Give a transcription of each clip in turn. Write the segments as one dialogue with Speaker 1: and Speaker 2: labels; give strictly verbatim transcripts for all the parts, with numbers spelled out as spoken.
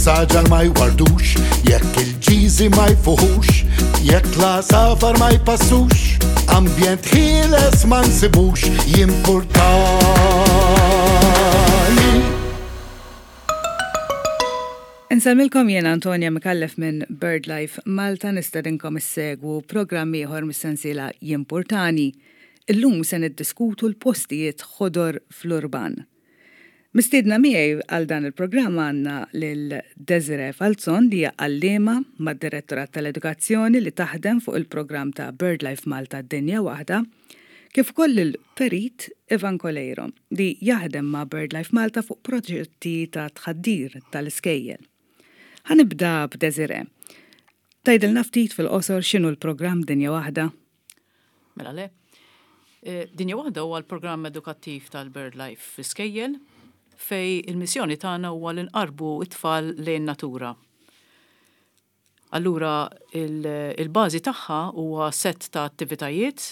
Speaker 1: is-saġar ma jwardux, jekk il-ġiżi ma jfuħux, jekk l-għasafar ma jpassux, ambjent ħieles ma nsibux, jimpurtani.
Speaker 2: Insellmilkom, jena Antonia Micallef minn BirdLife Malta, nistedinkom issegwu programm ieħor mis-sensiela Jimpurtani. Illum se niddiskutu l-postijiet ħodor fl-urban. Mistiedna miegħi għal dan il-programm għandna lil Desiree Falzon, li hija għalliema mad-Direttorat tal-Edukazzjoni li taħdem fuq il-programm ta' BirdLife Malta Dinja Waħda, kif ukoll il-perit Ivan Coleiro, li jaħdem ma' BirdLife Malta fuq proġetti ta' tħaddir tal-iskejjel. Ħa nibda b'Desiree. Tgħidilna ftit fil-qosor x'inhu l-programm Dinja Waħda?
Speaker 3: Mela le. Eh, Dinja Waħda huwa l-programm edukattiv tal-BirdLife fl-iskejjel, fejn il-missjoni tagħna huwa li nqarbu it-tfal lejn natura. Allura il-bażi tagħha huwa set ta' attivitajiet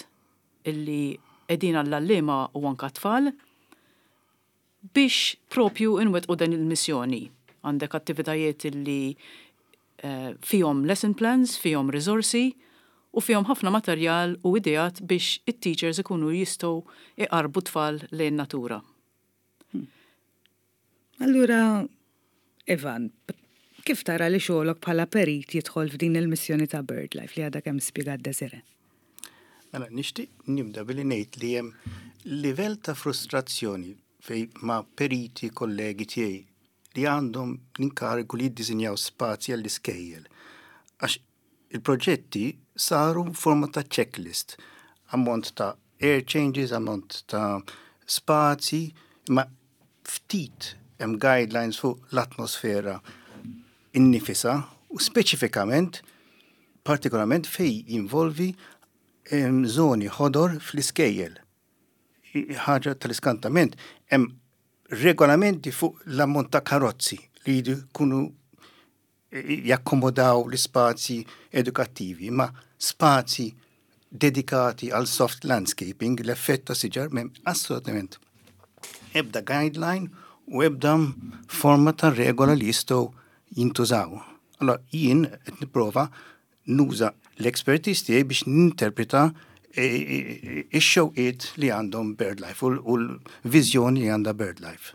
Speaker 3: illi qegħdin għall-għalliema u anka tfal biex propju inwettqu din il-missjoni. Għandek attivitajiet illi eh, fihom lesson plans, fihom risorsi u fihom ħafna materjal u ideat biex it-teachers ikunu jistgħu iqarbu tfal lejn natura.
Speaker 2: Allura, Ivan, kif tara li xogħolok bħala perit jidħol f'din il-missjoni ta' BirdLife li għadha kemm spjegat Desiree?
Speaker 4: Mela, nixtieq nibda billi ngħid li hemm livell ta' frustrazzjoni fejn ma' periti kollegi tiegħi li għandhom l-inkarigu li jiddisinjaw spazji għall-iskejjel. Għax il-proġetti saru forma ta' checklist, ammont ta' air changes, ammont ta' spazi, ma ftit hemm guidelines fuq l-atmosfera innifisha u speċifikament, partikolarment fejn jinvolvi zoni ħodor fl-iskejjel. Ħaġa tal-iskantament, hemm regolamenti fuq l-ammont ta' karozzi li jkunu jakkomodaw l-spazji edukattivi, ma spazi dedikati għal soft landscaping, l-effett ta' siġar, m'hemm assolutament ebda guideline u ebda forma ta' regola li jistgħu jintużaw. Allora, jien qed nipprova nuża l-expertise tiegħi biex ninterpreta ix-xewqiet li għandhom BirdLife u l-viżjoni li għandha BirdLife.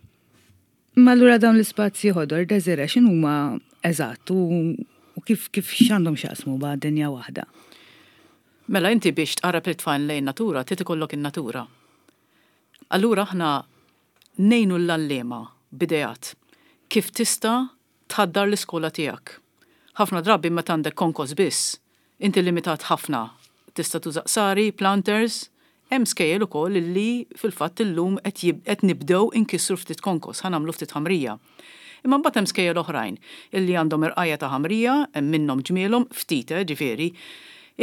Speaker 2: Ma allura dawn l-ispazji ħodor, Desiree, x'inhuma eżatt u kif kif x'għandhom x'jaqsmu ma' Dinja Waħda?
Speaker 3: Mela, inti biex tqarrab it-tfal lejn natura, trid ikollok in-natura. Allura aħna ngħinu l-għalliema b'ideat kif tista' tħaddar l-iskola tiegħek. Ħafna drabi meta għandek konkos biss, inti limitat ħafna. Tista' tuża qsari, planters, hemm skejjel ukoll illi fil-fatt illum qed nibdew inkissru ftit konkos, ħa nagħmlu ftit ħamrija. Imma mbagħad hemm skejjel oħrajn illi għandhom irqajja ta' ħamrija, hemm minnhom ġmielhom ftit, eh, ġifieri,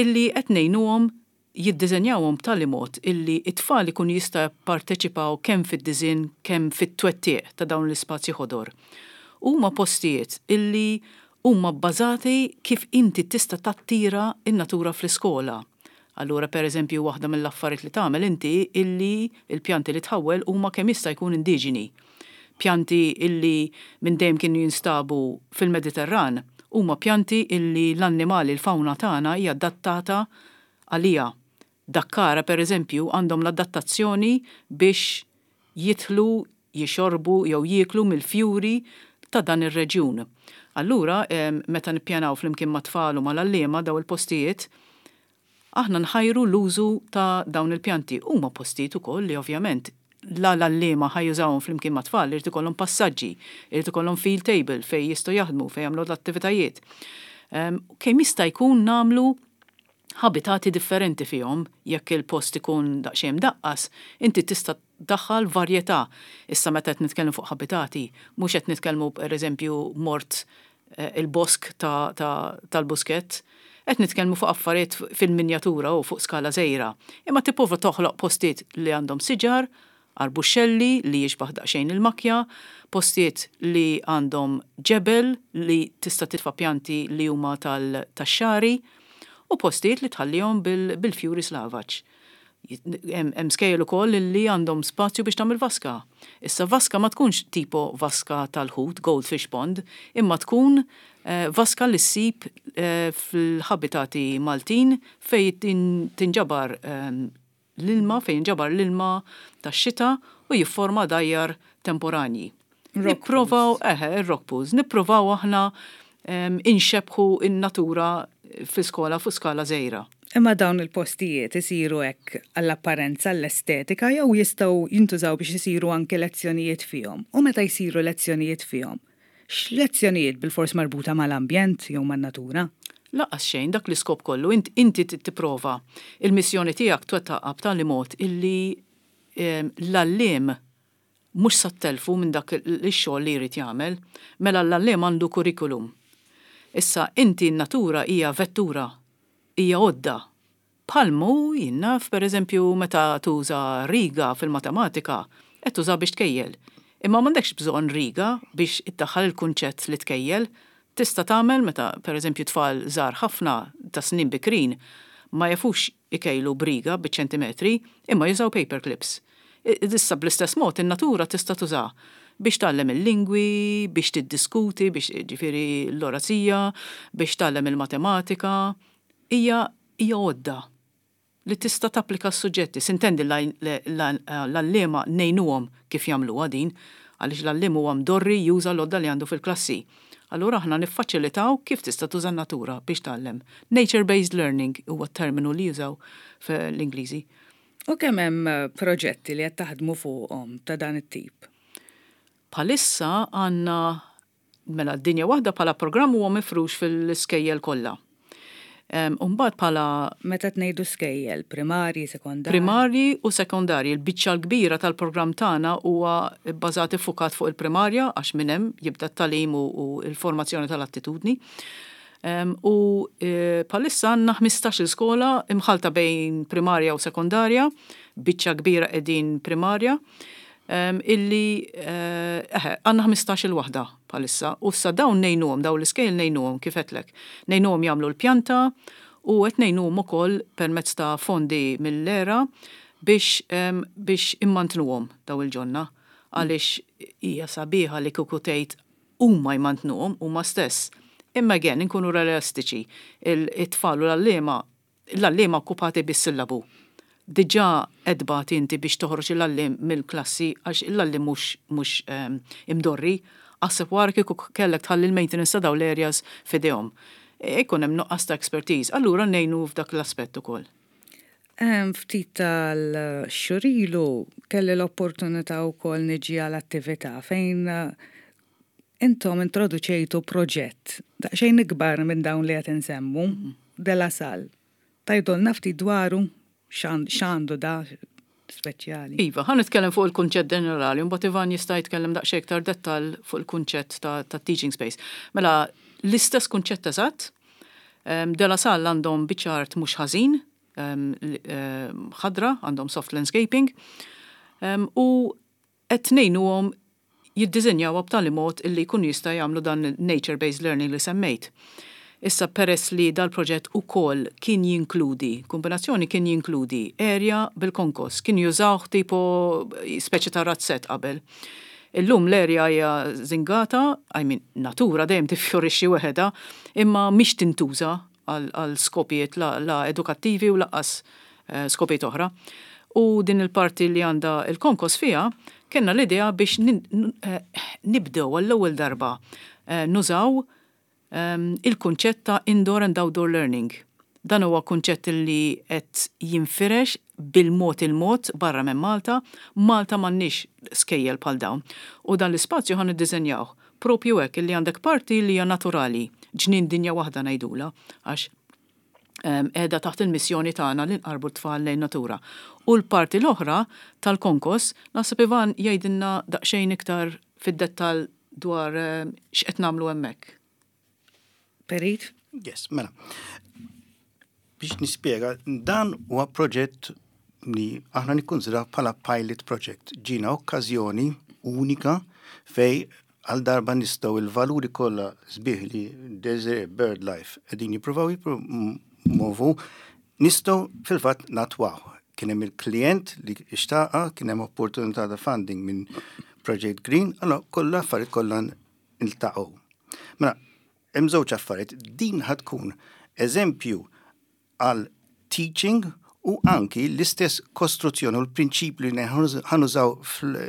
Speaker 3: illi qed ngħinuhom jiddiżenjawhom b'tali mod illi it-tfal ikun jista' jipparteċipaw kemm fid-diżinn kemm fit-twettiq ta' dawn l-ispazji ħodor. Huma postijiet illi huma bbażati kif inti tista' tattira in-natura fl-iskola. Allura, per eżempju, waħda mill-affarijiet li tagħmel inti illi il-pjanti li tħawwel huma kemm jista' jkun indiġeni. Pjanti illi minn dejjem kienu jinstabu fil-Mediterran huma pjanti illi l-annimali, l-fawna tagħna hija adattata għalija. Dakkara, per eżempju, għandhom l-adattazzjoni biex jidħlu, jixorbu jew jieklu mill-fjuri ta' dan ir-reġjun. Allura, meta nippjanaw flimkien ma' tfal u mal-għalliema daw il-postijiet, aħna nħajru l-użu ta' dawn il-pjanti. Huma postijiet ukoll li ovvjament la l-għalliema ħa jużawhom flimkien ma' tfal, irid ikollhom passaġġi, irid ikollhom field table fejn jistgħu jaħdmu, fejn jagħmlu l-attivitajiet. Kemm jista' jkun nagħmlu habitati differenti fihom. Jekk il-post ikun daqsxejn daqqas, inti tista' daħħal varjetà. Issa, meta qed nitkellmu fuq habitati, mhux qed nitkellmu, pereżempju, mort eh, il-bosk tal-Buskett, qed nitkellmu fuq affarijiet fil-minjatura u fuq skala żgħira. Imma tipprova toħloq postijiet li għandhom siġar, arbuxxelli li jixbaħ daqsxejn il-makja, postijiet li għandhom ġebel li tista' titfa' pjanti li huma tal-xari u postijiet li tħallihom bil-fjuri slavaġ. Hemm skejjel ukoll li għandhom spazju biex tagħmel vaska. Issa vaska ma tkunx tipo vaska tal-ħut, goldfish pond, imma tkun eh, vaska li ssib eh, fil-ħabitati Maltin fej tinġabar eh, l-ilma, fejn jinġabar l-ilma tax-xita u jifforma għadajjar temporanji. Nipprovaw, eħe, il-rock pools, nipprovaw aħna inxebħu in-natura fi skola fuq skala żgħira.
Speaker 2: Imma dawn il-postijiet isiru hekk għall-apparenza, l-estetika, jew jistgħu jintużaw biex isiru anke lezzjonijiet fihom? U meta jsiru lezzjonijiet fihom, x'lezzjonijiet, bil-fors marbuta mal-ambjent jew man-natura?
Speaker 3: Lanqas xejn, dak l-iskop kollu, inti tipprova il-missjoni tiegħek twettaqha b'tali mod illi l-għalliem mhux sa ttelfu minn dak ix-xogħol li jrid jagħmel. Mela l-għalliem għandu kurrikulum. Issa inti n-natura hija vettura, hija għodda. Bħalma jien naf, per eżempju, meta tuża riga fil-matematika, qed tuża biex tkejjel. Imma m'għandekx bżonn riga biex iddaħħal il-kunċett li tkejjel. Tista' tagħmel meta, per eżempju, tfal żgħar ħafna ta' snin bikrin ma jafux ikejlu b'riga biċ-ċentimetri, imma jużaw paper clips. Issa bl-istess mod in-natura tista' tuża biex tgħallem il-lingwi, biex tiddiskuti, biex, ġifieri, l-orazija, biex tgħallem il-matematika. Hija hija għodda li tista' tapplika s-suġġetti. S'intendi l-għalliema ngħinuhom kif jagħmluha din, għaliex l-għalliem huwa mdorri juża l-għodda li għandu fil-klassi. Allura aħna niffaċilitaw kif tista' tuża natura biex tgħallem. Nature-based learning huwa terminu li jużaw fl-Ingliżi.
Speaker 2: U kemm hemm proġetti li qed taħdmu fuqhom ta' dan it-tip?
Speaker 3: Bħalissa għandna, mela, Dinja Waħda bħala programm huwa mifrux fil-iskejjel kollha. Umbagħad bħala
Speaker 2: Meta tnejdu skejjel, primarji, sekondarji?
Speaker 3: Primarji u sekondarji. Il-biċċa l-kbira tal-programm tagħna huwa bbażat, iffukat fuq il-primarja, għax minn hemm jibda t-tagħlim u l-formazzjoni tal-attitudni. U e, bħalissa għandna ħmistax-il skola imħalta bejn primarja u sekondarja, biċċa kbira qegħdin primarja, illi eh, għandna ħmistax-il waħda bħalissa. U sa dawn ngħinuhom, dawn l-iskejjel ngħinuhom kif għedtlek. Ngħinuhom jagħmlu l-pjanta u qed ngħinuhom ukoll permezz ta' fondi mill-E R A biex, biex immantnuhom daw il-ġonna, għaliex hija sabiħa li kieku tgħid huma jmantnuhom huma stess. Imma again, inkunu realistiċi, it-tfal u l-għalliema, l-għalliema okkupati bis-sillabu. Diġà edbat inti biex toħroġ l-għalliem mill-klassi għax l-għalliem mhux mhux ehm, imdorri, aħseb wara kieku kellek tħalli l-maintenance ta' daw l-areas f'idejhom. Ikun hemm nuqqas ta' expertise, allura ngħinu f'dak l-aspett ukoll.
Speaker 2: Ftit tal-xhur ilu kelli l-opportunità wkoll niġi għal attività fejn eh, intom introduċejtu proġett daqsxejn ikbar minn dawn li qed insemmu, mhm. De La Salle. Tgħidulna ftit dwaru x'għandu da speċjali?
Speaker 3: Iva, ħa nitkellem fuq il-kunċett ġenerali, mbagħad Ivan jista' jitkellem daqsxejn iktar dettal fuq il-kunċett ta', ta teaching space. Mela, l-istess kunċett eżatt, De La Salle għandhom biċċa art mhux ħażin, ħadra, għandhom soft landscaping, u qed ngħinuhom jiddiżinjaw b'tali mod illi jkun jista' jagħmlu dan nature-based learning li semmejt. Issa peress li dal-proġett ukoll kien jinkludi, kombinazzjoni kien jinkludi area bil-konkos, kien jużawh tipo speċi ta' razzett qabel. Illum l-area hija żingata, I mean, natura dejjem tiffjorixxi weħeda, imma mhix tintuża għal skopijiet la, la edukattivi u lanqas eh, skopijiet oħra. U din il-parti li għandha il-konkos fija, kellna l-idea biex eh, nibdew għall-ewwel darba eh, nużaw Ehm, il-kunċett ta' indoor and outdoor learning. Dan huwa kunċett li qed jinfirex bil-mod il-mod barra minn Malta. Malta m'għandniex skejjel bħal dawn. U dan l-ispazju ħa niddiżenjaw propju hekk li għandek parti li hija naturali, Ġnien Dinja Waħda ngħidula, għax ehm, qiegħda taħt il-missjoni tagħna li nqarbu t-tfal lejn natura. U l-parti l-oħra tal-konkos, naħseb Ivan jgħidilna daqsxejn iktar fid-dettall dwar ehm, x'qed nagħmlu hemmhekk.
Speaker 2: Perit?
Speaker 4: Yes, mela. Biex nispjega, dan huwa proġett li aħna nikkonsidraw bħala pilot project. Ġiena okkażjoni unika fej għal darba nistgħu il-valuri kollha sbieħ li Desiree, BirdLife qegħdin jippruvaw jippromovu, nistgħu fil-fatt natwaw. Kien hemm il-klient li xtaqa, kien hemm opportunità ta' funding minn Project Green, allora kollha affarijiet kollha iltaqgħu. Mela, hemm żewġ affarijiet, din ħa tkun eżempju għal teaching u anki l-istess kostruzzjoni u l-prinċipju li ħa nużaw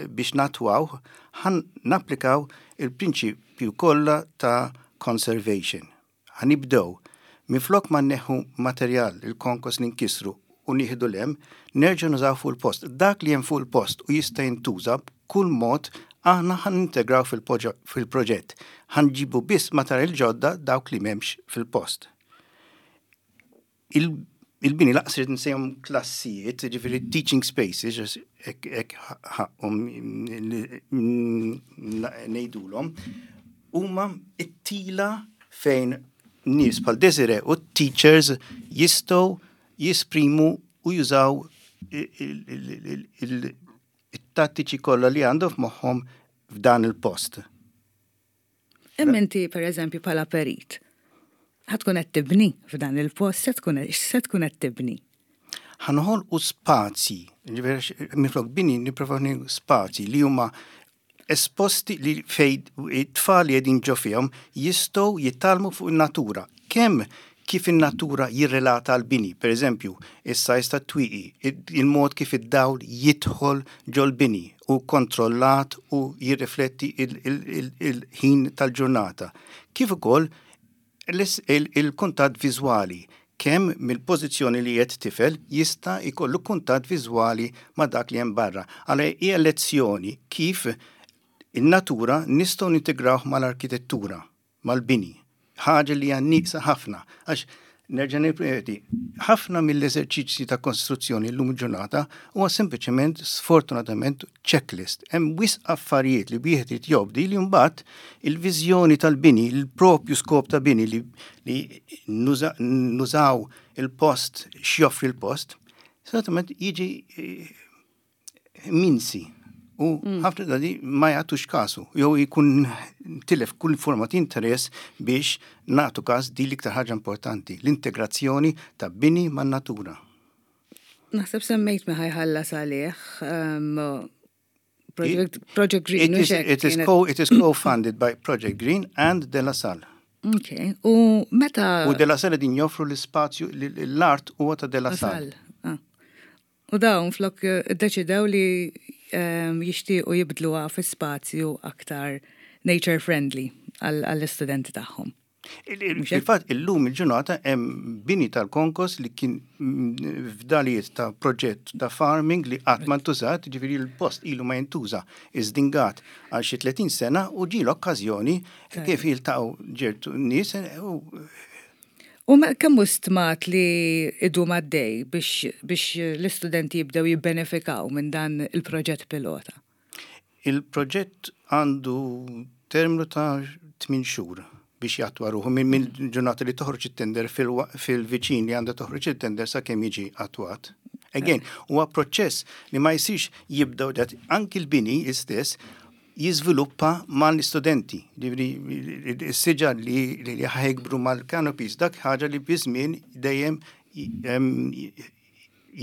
Speaker 4: biex nattwaw, ħa napplikaw il-prinċipju kollha ta' conservation. Ħa nibdew, minflok ma neħu materjal, il-konkos li nkisru u nieħdu 'l hemm, nerġa' nużaw fuq il-post. Dak li hemm fuq il-post u jista' jintuża b'kull mod aħna ħa nintegraw fil-proġett. Ħa nġibu biss materjal ġodda dawk li m'hemmx fil-post. Il-bini lanqas irrid nsejjaħhom klassijiet, ġifieri teaching spaces, hekk ħaqqhom ngħidulhom, huma it-tila fejn nies bħal Desire u teachers jistgħu jesprimu u jużaw il-tattiċi kollha li għandhom f'moħħhom f'dan il-post.
Speaker 2: Imma inti, per eżempju, bħala perit, ħa tkun qed tibni f'dan il-post, se tkun se tkun qed tibni.
Speaker 4: Ħa noħolqu spazji, minflok bini niproponi spazji li huma esposti li fej it-tfal li qegħdin ġo fihom jistgħu jitgħallmu fuq in-natura. Kemm kif in-natura jirrelata għal bini, per eżempju, is-size ta' twieqi, il-mod kif id-dawl jidħol ġol-bini u kontrollat u jirrifletti il-ħin tal-ġurnata. Kif ukoll il-kuntatt viżwali, kemm mill-pożizzjoni li qed tifel jista' jkollu kuntatt viżwali ma' dak li hemm barra. Għalhekk hija lezzjoni kif in-natura nistgħu nintegrawh mal-arkitettura, mal-bini. Ħaġa li hija nieqsa ħafna. Għax nerġa' nirrepeti, ħafna mill-eżerċizzji ta' kostruzzjoni llum il-ġurnata huwa sempliċement sfortunatament checklist. Hemm wisq affarijiet li wieħed irid jobdi li mbagħad il-viżjoni tal-bini, il-propju skop ta' bini li, li nużaw il-post, x'joffri il-post, sfortunatament jiġi eh, minsi. U mm. ħafna drabi ma jagħtux kasu, jew jkun tilef kull forma ta' interess biex nagħtu kas di l-iktar ħaġa importanti, l-integrazzjoni ta' bini man-natura.
Speaker 2: Naħseb semmejt min ħa jħallas għalih. Um, Project, Project Green.
Speaker 4: It is, it is, co, it is co-funded by Project Green and De La Salle.
Speaker 2: Ok, u meta.
Speaker 4: U De La Salle din joffru l-spazju, l-art huwa ta' De La Salle.
Speaker 2: Ah. U dawn flok eh, deċidew li um, jixtiequ jibdluha fi spazju aktar nature friendly għall-istudenti tagħhom.
Speaker 4: Il-fatt illum il-ġurnata hemm bini tal-konkos li kien fdalijiet ta' proġett ta' farming li qatt ma ntużat, ġifieri l-post ilu ma jintuża iżdingat għal xi tletin sena u ġie l-okkażjoni kif jiltaqgħu ċertu nies u
Speaker 2: U kemm hu stmat li idum għaddej biex, biex l-istudenti jibdew jibbenefikaw minn dan il-proġett pilota?
Speaker 4: Il-proġett għandu terminu ta' tmien xhur biex jattwa ruħu minn min ġurnata li toħroġ it-tender fil-viċin li għandha toħroġ it-tender sa kemm jiġi attwat. Again, huwa proċess li ma jsirx jibdew dat anki l-bini istess jiżviluppa mal-istudenti. Is-siġar li li ħa jikbru mal-canopies, dak ħaġa li biż-żmien dejjem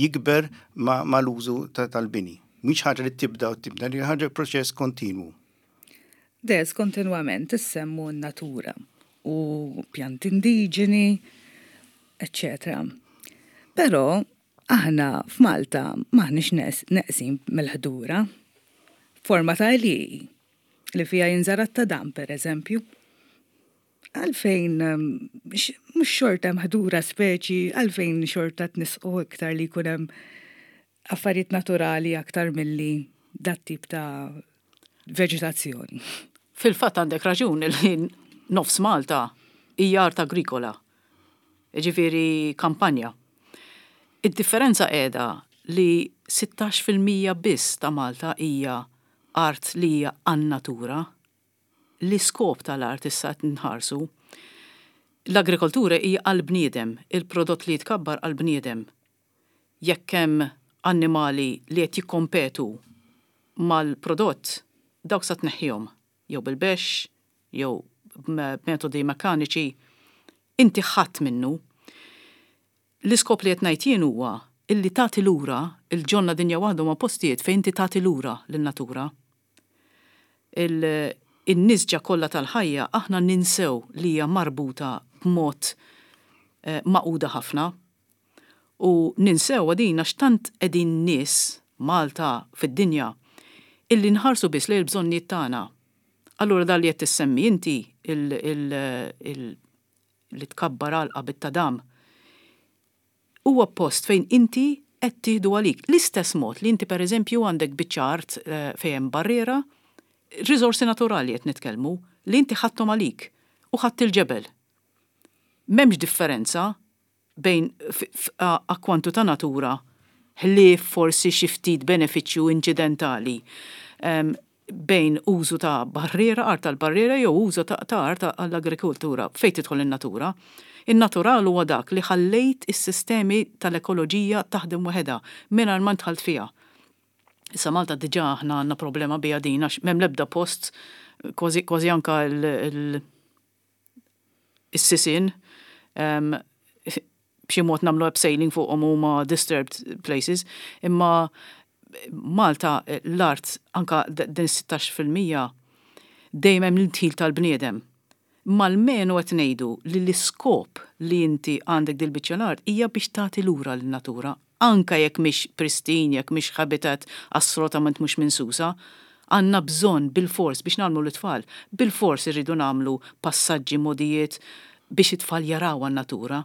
Speaker 4: jikber mal-użu tal-bini. Mhix ħaġa li tibda u tibda, li ħaġa proċess kontinwu.
Speaker 2: Des kontinwament issemmu n-natura u pjanti indiġeni, eccetera. Però aħna f'Malta m'aħniex neqsin mill-ħdura. Forma ta' li li fija jinżara t-tadam, per eżempju. Għalfejn, mhux xorta ħdura speċi, għalfejn xorta tnisqu iktar li jkun hemm affarijiet naturali aktar milli dat tip ta' veġitazzjoni?
Speaker 3: Fil-fatt għandek raġun li nofs Malta hija art agrikola, ġifieri kampanja. Id-differenza qiegħda li sittax fil-mija biss ta' Malta hija art li hija għan-natura. L-iskop tal-art issa qed nħarsu. L-agrikoltura hija għal-bniedem, il-prodott li jitkabbar għal-bniedem. Jekk hemm annimali li qed jikkompetu mal-prodott, dawk sa tneħħihom, jew bil-bexx, jew b'metodi mekkaniċi, inti ħadd minnu. L-iskop li qed ngħid jien huwa Illi tagħti lura, il-ġonna Dinja Waħda huma postijiet fejn inti tagħti lura lin-natura. Il-nisġa kollha tal-ħajja aħna ninsew li hija marbuta b'mod eh, magħquda ħafna. U ninsew din għax tant qegħdin nies Malta fid-dinja illi nħarsu biss lejn il-bżonnijiet tagħna. Allura dan li qed tissemmi inti li tkabbar għalqa bit-tadam huwa post fejn inti qed tieħdu għalik. L-istess mod li inti, pereżempju, għandek biċċa art eh, fejn hemm barriera, riżorsi naturali qed nitkellmu, li inti ħadthom għalik u ħadd il-ġebel. M'hemmx differenza bejn akkwantu ta' natura, ħlief forsi xi ftit benefiċċju inċidentali, bejn użu ta' barriera, art tal-barriera, jew użu ta' art għall-agrikultura fejn tidħol in-natura. In-natural huwa dak li ħallejt is-sistemi tal-ekoloġija taħdem waħedha mingħajr ma dħalt fiha. Issa Malta diġà aħna għandna problema biha din għax m'hemm l-ebda post kważi kważi anka il-sisien b'xi mod nagħmlu abseiling fuqhom, huma disturbed places, imma Malta l-art anka din sittax fil-mija dejjem hemm l-indħil tal-bniedem. Mal-menu qed ngħidu li l-iskop li inti għandek dil-biċċa l-art hija biex tagħti lura lin-natura, anka jekk mhix pristine, jekk mhix habitat assolutament mhux minsusa, għandna bżonn bil-fors biex nagħmlu l-tfal, bil-fors irridu nagħmlu passaġġi, modijiet biex it-tfal jaraw għan-natura,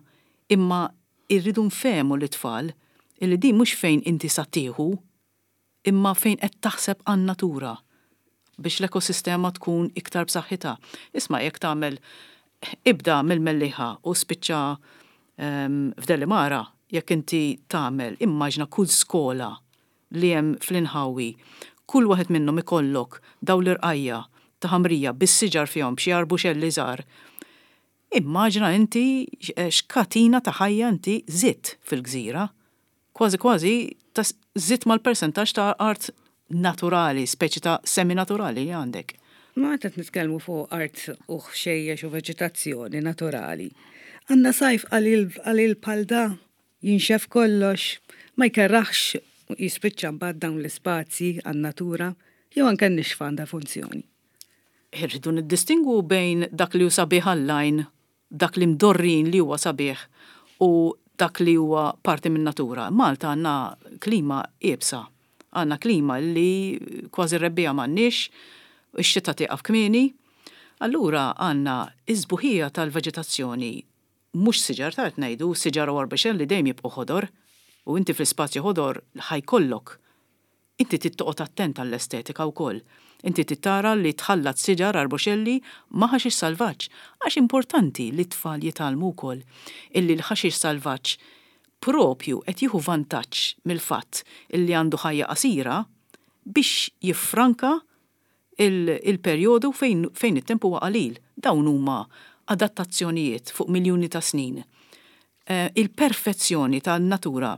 Speaker 3: imma irridu nfehmu l-tfal illi din mhux fejn inti sa tieħu, imma fejn qed taħseb għan-natura biex l-ekosistema tkun iktar b'saħħitha. Isma', jekk tagħmel ibda mill-Mellieħa u spiċċa um, f'Delimara, jekk inti tagħmel, immaġna kull skola li hemm fl-inħawi, kull waħed minnhom ikollok daw l-irqajja ta' ħamrija bis-siġar fihom, b'xi arbuxelli żgħar. Immaġna inti x'katina ta' ħajja inti żidt fil-gżira. Kważi kważi ta' żidt mal-percentaġġ ta' art naturali, speċi ta' semi-naturali li għandek.
Speaker 2: Ma qed nitkellmu fuq art u ħxejjex u veġetazzjoni naturali. Għandna sajf qalil bħal da, jinxef kollox, ma jkerraħx, jispiċċa mbagħad dawn l-ispazji għan-natura, jew anke n-nixfa għandha funzjoni?
Speaker 3: Irridu niddistingwu bejn dak li hu sabiħ għall-għajn, dak li mdorrin li huwa sabiħ, u dak li huwa parti minn natura. Malta għandna klima iebsa, għandna klima li kważi rebbiegħa m'għandniex, ix-xita tieqaf kmieni. Allura għandna iż-sbuħija tal-veġetazzjoni, mhux siġar ta' ngħidu, siġar u arbexen li dejjem jibqgħu ħodor, u inti fl-ispazju ħodor ħa jkollok. Inti trid toqgħod attent għall-estetika wkoll. Inti trid tara li tħallat siġar, arbuxelli ma' ħaxix salvaġġ. Għax importanti li t-tfal jitgħallmu wkoll illi l-ħaxix salvaġġ propju qed jieħu vantaġġ mill-fatt illi għandu ħajja qasira biex jiffranka il-perjodu fejn, fejn it-temp huwa qalil. Dawn huma adattazzjonijiet fuq miljuni ta' snin. Eh, il-perfezzjoni tan-natura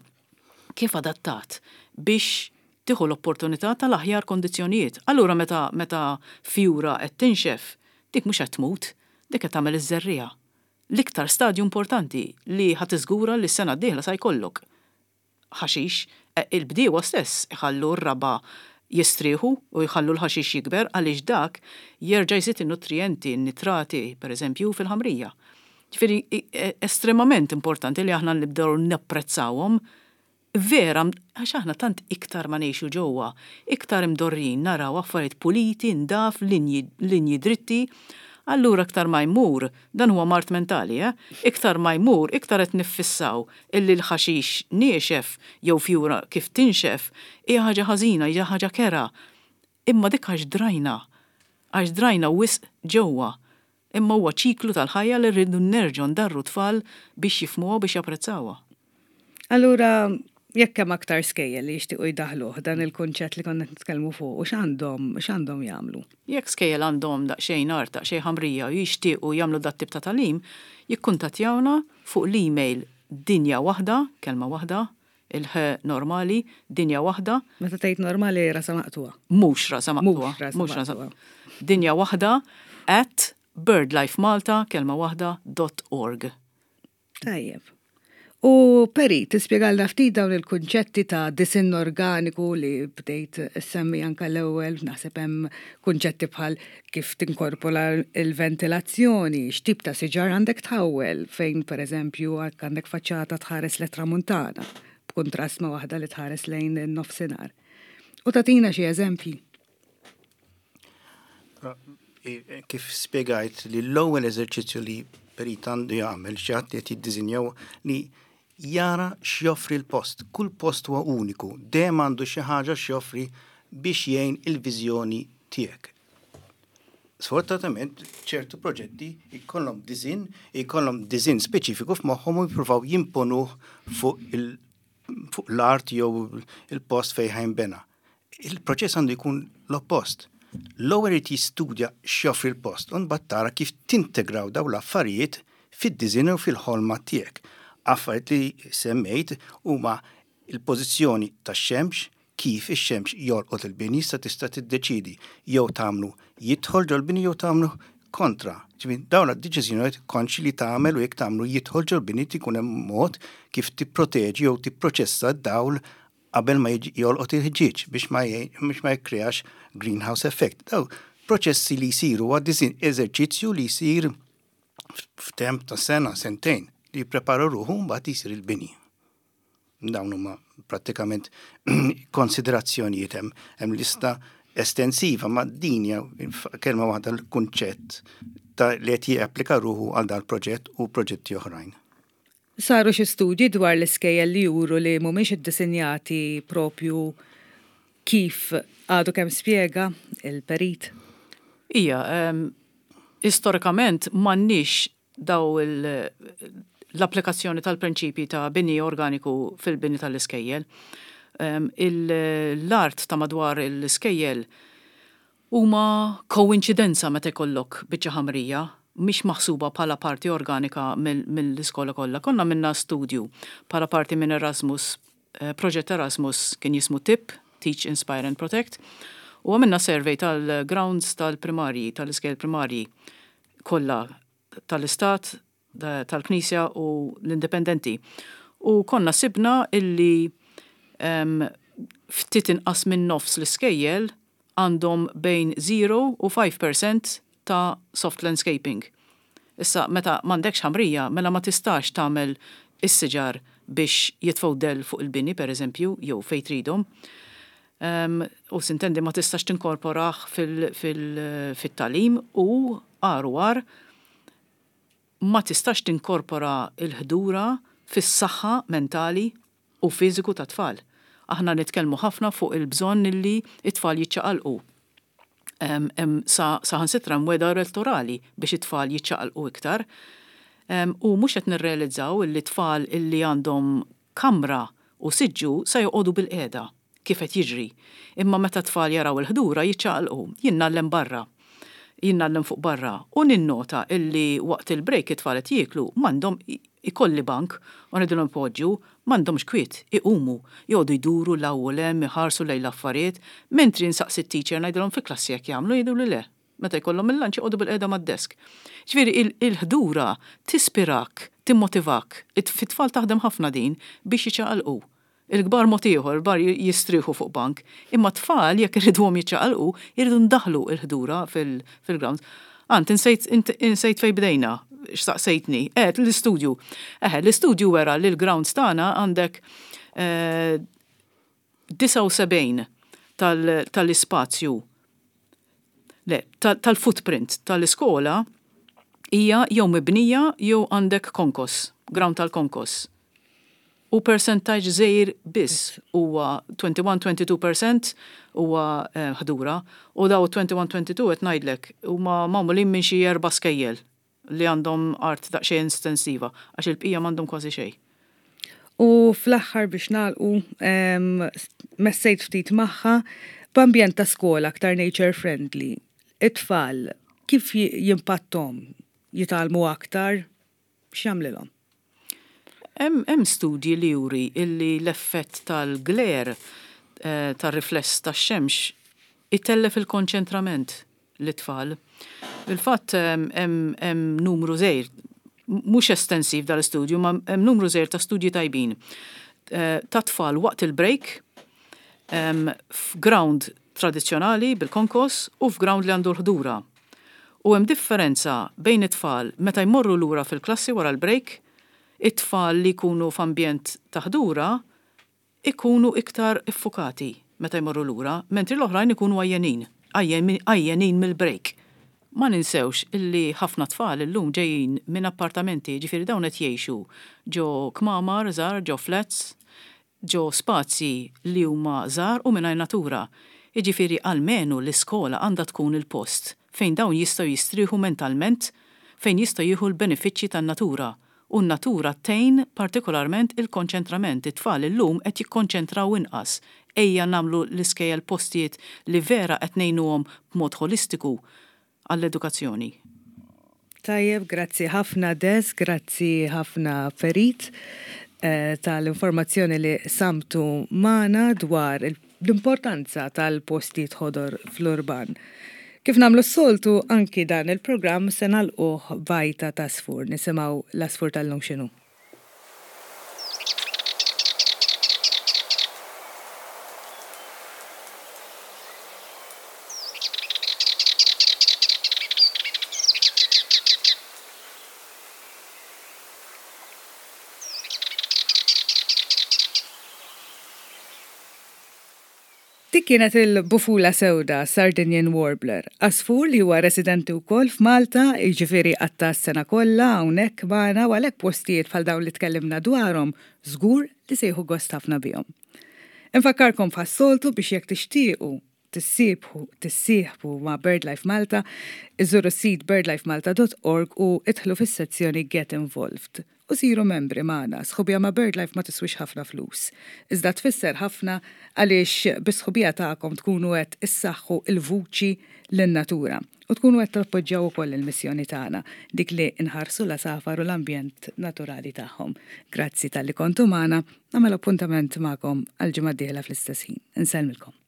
Speaker 3: kif adattat biex tieħu l-opportunità tal-aħjar kondizzjonijiet. Allura meta meta fjura qed tinxef, dik mhux qed tmut, dik qed tagħmel iż-żerriegħa. L-iktar stadju importanti li ħa tiżgura li s-sena d-dieħla sa jkollok ħaxix, eh, il-bdiewa stess iħallu r-raba jistrieħu u jħallu l-ħaxix jikber għaliex dak jerġa' jżid in-nutrijenti, n-nitrati, per eżempju, fil-ħamrija. Ġifieri e, estremament importanti li aħna nibdew napprezzawhom vera, għax aħna tant iktar ma ngħixu ġewwa, iktar imdorrin naraw affarijiet puliti, ndaf, linji, linji dritti. Allura iktar ma jmur, dan huwa mard mentali, eh? Iktar ma jmur, iktar qed niffissaw illi l-ħaxix niexef jew fjura kif tinxef hija ħaġa ħażina, hija ħaġa kerha. Imma dik għax drajna, għax drajna wisq ġewwa. Imma huwa ċiklu tal-ħajja li rridu nerġgħu ndarru tfal biex jifhmuha, biex japprezzawha.
Speaker 2: Allura, jekk hemm aktar skejjel li jixtiequ jdaħluh dan il-kunċett li konna nitkellmu fuq, u x'għandhom x'għandhom jagħmlu?
Speaker 3: Jekk skejjel għandhom daqsxejn art, daqsxejn ħamrija u jixtiequ jagħmlu dat tip ta' tagħlim, jikkuntattjawna fuq l-email dinja waħda, kelma waħda, il-ħ normali, dinja waħda.
Speaker 2: Meta tgħid normali, rasa maqtugħa.
Speaker 3: Mhux rasa maqtugħa.
Speaker 2: Mhux rasa maqtugħa.
Speaker 3: Dinja waħda at birdlifemalta, kelma waħda, dot org.
Speaker 2: Tajjeb. U Perit, tispjegalna ftit dawn il-kunċetti ta' disinn organiku li bdejt semmi anka l-ewwel, naħseb hemm kunċetti bħal kif tinkorpora il-ventilazzjoni, x'tip ta' siġar għandek tħawwel, fejn pereżempju għandek faċċata tħares lejn tramuntana, b'kuntrast ma' waħda li tħares lejn in-nofsinhar. U tagħtina xi eżempji.
Speaker 4: Kif spiegajt li l-ewwel eżerċizzju li perit għandu jagħmel, xi ħadd qed jiddisinjaw, li jara x'joffri l-post. Kull post huwa uniku, dejjem għandu xi ħaġa x'joffri biex jgħin il-viżjoni tiegħek. Sfortunatament, ċertu proġetti jkollhom disinn, jkollhom disinn speċifiku f'moħħhom u jippruvaw jimponuh fuq il fuq l-art jew il-post fejn ħa jinbena. Il-proċess għandu jkun l-oppost. L-ewwel irid jistudja x'joffri l-post u mbagħad tara kif tintegraw dawn l-affarijiet fid-disinn u fil-ħolma tiegħek. Affarijiet li semmejt huma il-pożizzjoni tax-xemx, kif ix-xemx jolqot il-bini, sa tista' tiddeċidi jew tagħmlu jidħol ġol-bini jew tagħmlu kontra. Ġifieri dawn id-deċiżjonijiet konxi li tagħmel, u jekk tagħmlu jidħol ġol-bini ikun hemm mod kif tipproteġi jew tipproċessa d-dawl qabel ma jiġi jolqot il-ħġieġ biex ma biex ma jikkreax greenhouse effect. Daw proċessi li jsiru għad eżerċizzju li jsir f'temp ta' sena, sentejn, li jipprepara ruħu, mbagħad jisir il-bini. Dawn huma prattikament konsiderazzjonijiet, hemm hemm lista estensiva, ma din hija kelma waħda l-kunċett ta' li qed japplika ruħu għal dal proġett u proġetti oħrajn.
Speaker 2: Saru xi studji dwar l-iskejjel li juru li mhumiex iddisinjati propju kif għadu kemm spjega il-perit?
Speaker 3: Ija, um, istorikament m'għandniex daw l-applikazzjoni tal-prinċipji ta' bini organiku fil-bini tal-iskejjel. Um, L-art ta' madwar l-iskejjel huma koinċidenza meta jkollok biċċa ħamrija, mhix maħsuba bħala parti organika mill-iskola kollha. Konna għamilna studju bħala parti minn Erasmus, eh, proġett Erasmus kien jismu TIP, Teach, Inspire and Protect, u għamilna survey tal-grounds tal-primarji, tal-iskejjel primarji kollha tal-istat, tal-Knisja u l-indipendenti. U konna sibna illi um, ftit inqas minn nofs l-iskejjel għandhom bejn zero u ħamsa fil-mija ta' soft landscaping. Issa, meta m'għandekx ħamrija, mela ma tistax tagħmel is-siġar biex jitfgħu dell fuq il-bini, per eżempju, jew fejn tridhom. Um, u sintendi ma tistax tinkorporah fil-tagħlim u għar għar ma tistax tinkorpora il-ħdura fis-saħħa mentali u fiżiku ta' tfal. Aħna nitkellmu ħafna fuq il-bżonn illi it-tfal jiċċaqalqu. Saħansitra mweda elettorali biex it-tfal jiċċaqalqu iktar. U mhux qed nirrealizzaw illi tfal illi għandhom kamra u siġġu sa joqogħdu bil-qiegħda, kif qed jiġri. Imma meta tfal jaraw il-ħdura jiċċaqalqu, jien ngħallem barra. Jien ngħallem fuq barra u ninnota illi waqt il-break it-tfal qed jieklu, m'għandhom, ikolli bank u ngħidilhom poġġu, m'għandhomx kwiet, iqumu, joqogħdu jduru 'l hawn u 'l hemm, iħarsu lejn l-affarijiet, mentri nsaqsi t-teacher, ngħidilhom fi klassi jekk jagħmlu, jgħidu li le. Meta jkollhom il-lunch joqogħdu bil-qiegħda mad-desk. Ġifieri il-ħdura tispirak, timmotivak, fit-tfal taħdem ħafna din biex jiċċaqalqu. Il-kbar mod ieħor, il-kbar jistrieħu fuq bank, imma tfal jekk irriduhom jiċċaqalqu, irridu ndaħlu il-ħdura fil-grounds. Ant, insejt, insejt fej bdejna, x'saqsejtni. Eh, l-istudju. Eh, l-istudju wera li l-grounds tagħna għandek eh, disgħa u sebgħin tal-ispazju, le, tal-footprint tal-iskola hija jew mibnija jew għandek konkos, ground tal-konkos. U percentage żgħir biss huwa wieħed u għoxrin-tnejn u għoxrin fil-mija huwa eh, ħdura u daw wieħed u għoxrin tnejn u għoxrin qed ngħidlek huma magħmulin minn xi erba' skejjel li għandhom art daqsxejn estensiva, għax il-bqija m'għandhom kważi xejn.
Speaker 2: U fl-aħħar biex nagħlqu, messejt ftit magħha, b'ambjent ta' skola aktar nature friendly. It-tfal kif jimpattom, jitgħallmu aktar, x'jagħmlilhom?
Speaker 3: Hemm studji li juri illi l-effett tal-glare, eh, tar-rifless tax-xemx, itellef il-konċentrament l-tfal. Il-fatt hemm numru żgħir Mhux estensiv dal-istudju, ma hemm numru żgħir ta' studji tajbin eh, ta' tfal waqt il-break f'ground tradizzjonali bil-konkos u f'ground li għandu l-ħdura. U hemm differenza bejn it-tfal meta jmorru lura fil-klassi wara l-break, it-tfal li jkunu f'ambjent ta' ħdura ikunu iktar iffukati meta jmorru lura, mentri l-oħrajn ikunu għajjenin, għajjenin mill-break. Ma ninsewx illi ħafna tfal illum ġejjin minn appartamenti, ġifieri dawn qed jgħixu ġo kmamar żgħar, ġo flats, ġo spazji li huma żgħar u mingħajr natura. Jiġifieri almenu l-iskola għandha tkun il-post fejn dawn jistgħu jistrieħu mentalment, fejn jistgħu jieħu l-benefiċċji tan-natura. U n-natura tgħin partikolarment il-konċentrament. It-tfal illum qed jikkonċentraw inqas. Ejja nagħmlu l-iskejjel postijiet li vera qed ngħinuhom b'mod ħolistiku għall-edukazzjoni.
Speaker 2: Tajjeb, grazzi ħafna Des, grazzi ħafna Perit eh, tal-informazzjoni li samtu magħna dwar l-importanza tal-postijiet ħodor fl-urban. Kif nagħmlu s-soltu anki dan il-programm se nagħlquh b'għajta ta' għasfur, nisimgħu l-għasfur tal-lum x'inhu. Dik kienet il-bufula sewda, Sardinian Warbler, għasfur li huwa residenti wkoll f'Malta, jiġifieri qatta' s-sena kollha hawnhekk magħna u għalhekk postijiet bħal dawn li tkellimna dwarhom żgur li se jieħu gost ħafna bihom. Infakkarkom bħas-soltu biex jekk tixtiequ tissieħbu tissieħbu ma' BirdLife Malta, iżuru s-sit birdlifemalta dot org u idħlu fis-sezzjoni Get Involved. U siru membri magħna. Sħubija ma' BirdLife ma tiswix ħafna flus. Iżda tfisser ħafna għaliex bis-sħubija tagħkom tkunu qed issaħħu l-vuċi lin-natura u tkunu qed tappoġġjaw ukoll il-missjoni tagħna, dik li nħarsu l-għasafar u l-ambjent naturali tagħhom. Grazzi talli kontu magħna, nagħmel appuntament magħkom għal ġimgħa d-dieħla fl-istess ħin. Insellmilkom.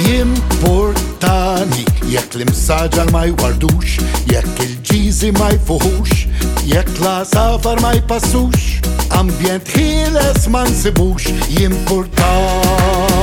Speaker 1: Jimportani jekk l-imsaġar ma jwardux, jekk il-ġiżi ma jfuħux, jekk l-għasafar ma jpassux, ambjent ħieles ma nsibux. Jimportani.